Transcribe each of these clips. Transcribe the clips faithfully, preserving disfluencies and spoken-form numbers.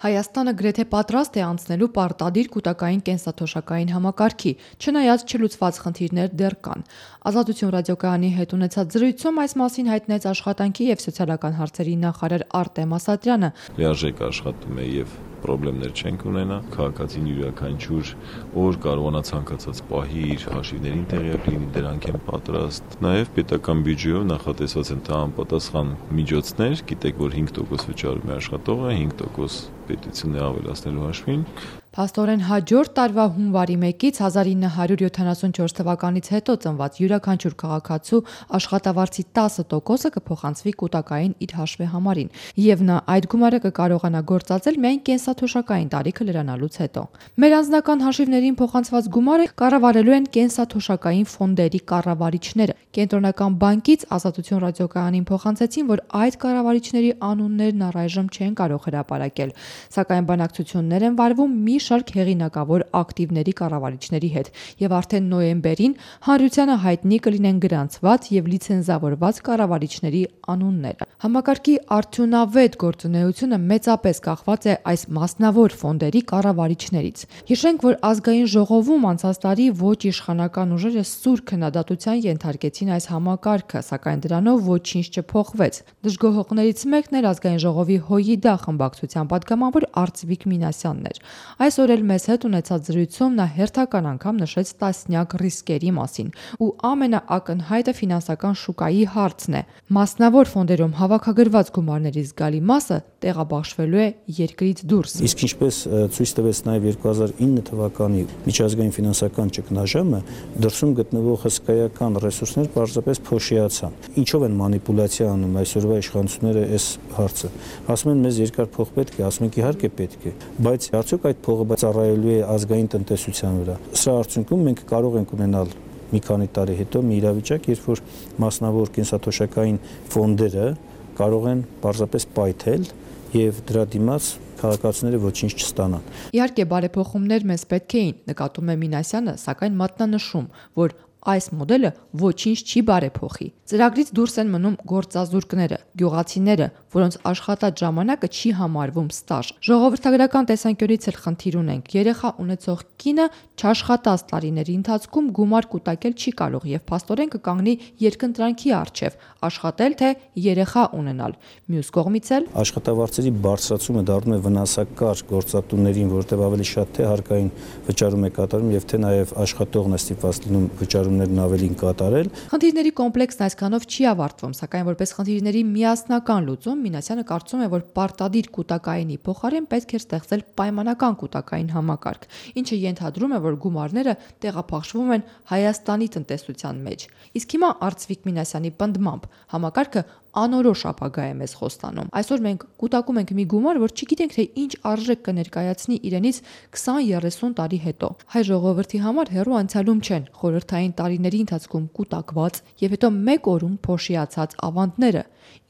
Հայաստանը գրեթե պատրաստ է անցնելու պարտադիր կൂտակային կենսաթոշակային համակարգի, չնայած չլուծված խնդիրներ դեռ կան։ Ազատություն ռադիոկայանի հետ ունեցած զրույցում այս մասին հայտնեց աշխատանքի եւ սոցիալական հարցերի նախարար Արտեմ Ասատրյանը։ Լիարժեք աշխատում է եւ պրոբլեմներ չենք ունենա, քաղաքացին յուրաքանչյուր օր կարողանա ցանկացած պահի իր հաշիվներին տեղյակ լինի, դրանք են պատրաստ։ Նաև պետական բյուջեով նախատեսված են համապատասխան միջոցներ, գիտեք, որ հինգ տոկոս վճարում է աշխատողը, հինգ տոկոս պետությունն է ավելացնելու հաշվին։ Փաստորեն հաջորդ տարվա հունվարի մեկից հազար ինը հարյուր յոթանասունչորս թվականից հետո ծնված յուրաքանչյուր քաղաքացու աշխատավարձի տասը տոկոսը կփոխանցվի կൂտակային իր հաշվի համարին, եւ նա այդ գումարը կկարողանա գործածել միայն կենսաթոշակային տարիքը լրանալուց հետո։ Մեր անձնական հաշիվներին փոխանցված գումարը կառավարելու են կենսաթոշակային ֆոնդերի կառավարիչները։ Կենտրոնական բանկից Ազատություն ռադիոկայանին փոխանցեցին, որ այդ կառավարիչների անուններն առայժմ չեն կարող հրապարակել, սակայն բանակցություններ են վարվում մի շարք հեղինակավոր ակտիվների կառավարիչների հետ, եւ արդեն նոյեմբերին հանրությանը հայտնի կլինեն գրանցված եւ լիցենզավորված կառավարիչների անունները։ Համակարգի արդյունավետ գործունեությունը մեծապես կախված է այս մասնավոր ֆոնդերի կառավարիչներից։ Հիշենք, որ ազգային ժողովում անցած տարի ոչ իշխանական ուժերը սուր քննադատության ենթարկեցին այս համակարգը, սակայն դրանով ոչինչ չփոխվեց։ Դժգոհողներից մեկն էր ազգային ժողովի ՀՅԴ խմբակցության պատգամավոր Արծվիկ Մինասյանն էր։ Այսօր էլ մեզ հետ ունեցած զրույցում նա հերթական անգամ նշեց տասնյակ ռիսկերի մասին, ու ամենաակնհայտը ֆինանսական շուկայի հարցն է։ Մասնավոր ֆոնդերում հավաքագրված գումարների զգալի մասը տեղաբաշխվելու է երկրից դուրս։ Իսկ ինչպես ցույց տվեց նաև երկու հազար ինը թվականի միջազգային ֆինանսական ճգնաժամը, դրսում գտնվող հսկայական ռեսուրսներ պարզապես փոշիացան։ Ինչով են մանիպուլյացիա անում այսօրվա իշխանությունները այս հարցը։ Ասում են մեզ երկար փող պետք է, ասում ենք իհարկե պետք է, բայց արդյոք այդ փողը ծառայելու է ազգային տնտեսության վրա։ Սրա արդյունքում մենք կարող ենք ունենալ մի քանի տարի հետո մի իրավիճակ, երբ որ մասնավոր կենսաթոշակային ֆոնդերը կարող են պարզապես պայթել եւ դրա դիմաց քաղաքացիները ոչինչ չստանան։ Իհարկե բարեփոխումներ մեզ պետք էին, նկատում է Մինասյանը, սակայն մատնանշում, որ այս մոդելը ոչինչ չի բարեփոխի։ Ծրագրից դուրս են մնում գործազուրկները, գյուղացիները, որոնց աշխատած ժամանակը չի համարվում ստաժ։ Ժողովրդագրական տեսանկյունից էլ խնդիր ունենք։ Երեխա ունեցող կինը չաշխատած տարիների ընթացքում գումար կուտակել չի կարող եւ փաստորեն կկանգնի երկընտրանքի առջեւ՝ աշխատել թե երեխա ունենալ։ Մյուս կողմից էլ աշխատավարձերի բարձրացումը դառնում է վնասակար գործատուներին, որովհետեւ ավելի շատ թե հարկային վճարում է կատարում եւ թե նաեւ աշխատողն է ստիպված լինում վճարումներն ավելին կատարել։ Խնդիրների կոմպլեքսն այսքանով չի ավարտվում, սակայն որպես խնդիրների միասնական լուծում Մինասյանը կարծում է, որ պարտադիր կൂտակայինի փոխարեն պետք է ստեղծել պայմանական կൂտակային համակարգ, ինչը ենթադրում է, որ գումարները տեղափոխվում են Հայաստանի տնտեսության մեջ։ Իսկ հիմա Արծվիկ Մինասյանի պնդմամբ համակարգը անորոշ ապագա է մեզ խոստանում։ Այսօր մենք կൂտակում ենք մի գումար, որ չգիտենք թե ինչ արժեք կներկայացնի իրենից քսան երեսուն տարի հետո։ Հայ ժողովրդի համար հեռու անցյալում չեն խորհրդային տարիների ընթացքում կൂտակված եւ հետո մեկ օրում փոշիացած ավանդները,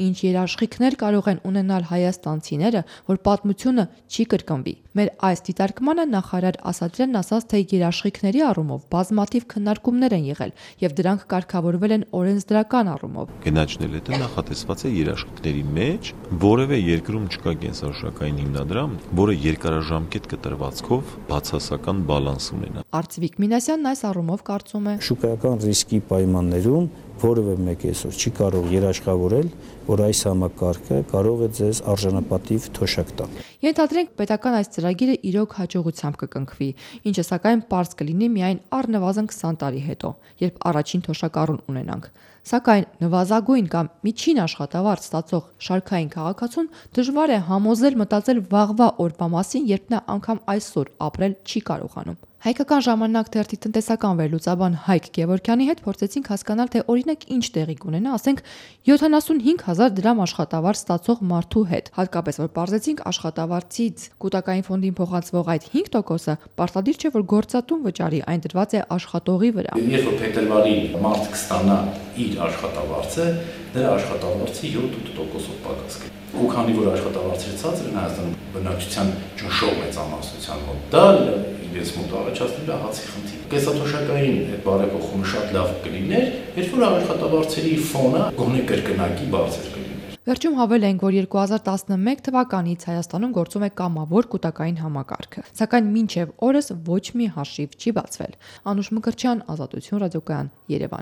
ինչ երաշխիքներ կարող են ունենալ հայաստանցիները, որ պատմությունը չի կրկնվի։ Մեր այս դիտարկմանը նախարար Ասատրյանն ասաց, թե երաշխիքների առումով բազմաթիվ քննարկումներ են եղել եւ դրանք կարգավորվել են օրենսդրական առումով։ Գնաճնել հետո նախատեսված է երաշխիքների մեջ որևէ երկրում չկա կենսաթոշակային հիմնադրամ, որը երկարաժամկետ կտրվածքով բացասական բալանս ունենա։ Արծվիկ Մինասյանն այս առումով կարծում է. Շուկայական ռիսկի պայմաններում որևէ մեկ այսօր չի կարող երաշխավորել, որ այս համակարգը կարող է ձեզ արժանապատիվ թոշակ տալ։ Ենթադրենք պետական այս ծրագիրը իրոք հաջողությամբ կկնքվի, ինչը սակայն պարզ կլինի միայն առնվազն քսան տարի հետո, երբ առաջին թոշակառուն ունենանք։ Սակայն նվազագույն կամ միջին աշխատավարձ ստացող շարքային քաղաքացուն դժվար է համոզել մտածել վաղվա օրվա մասին, երբ նա անգամ այսօր ապրել չի կարողանում։ Հայկական ժամանակ թերթի տնտեսական վերլուծաբան Հայկ Գևորգյանի հետ փորձեցինք հասկանալ, թե օրինակ ինչ տեղի կունենա, ասենք յոթանասունհինգ հազար դրամ աշխատավարձ ստացող մարդու հետ, հատկապես որ պարզեցինք աշխատավարձից կൂտակային ֆոնդին փոխանցվող այդ հինգ տոկոսը պարտադիր չէ, որ գործատուն վճարի, այն դրված է աշխատողի վրա։ Երբ որ փետրվարի մարդ կստանա իր աշխատավարձը, նրա աշխատավարձի յոթ տոկոսով պակաս կլինի։ Ու քանի որ աշխատավարձը ցածր է Հայաստանում, բնակչության ճնշող մեծամասնության մոտ դա իրենց մոտ առաջացնել է հացի խնդիր։ Կենսաթոշակային այդ բարեփոխումը շատ լավ կլիներ, երբ որ աշխատավարձերի ֆոնը գոնե կրկնակի բարձր կլիներ։ Վերջում հավել ենք, որ երկու հազար տասնմեկ թվականից Հայաստանում գործում է կամավոր կൂտակային համակարգը, սակայն մինչև օրս ոչ մի հաշիվ չի բացվել։ Անուշ Մկրտչյան, Ազատություն ռադիոկայան, Երևան։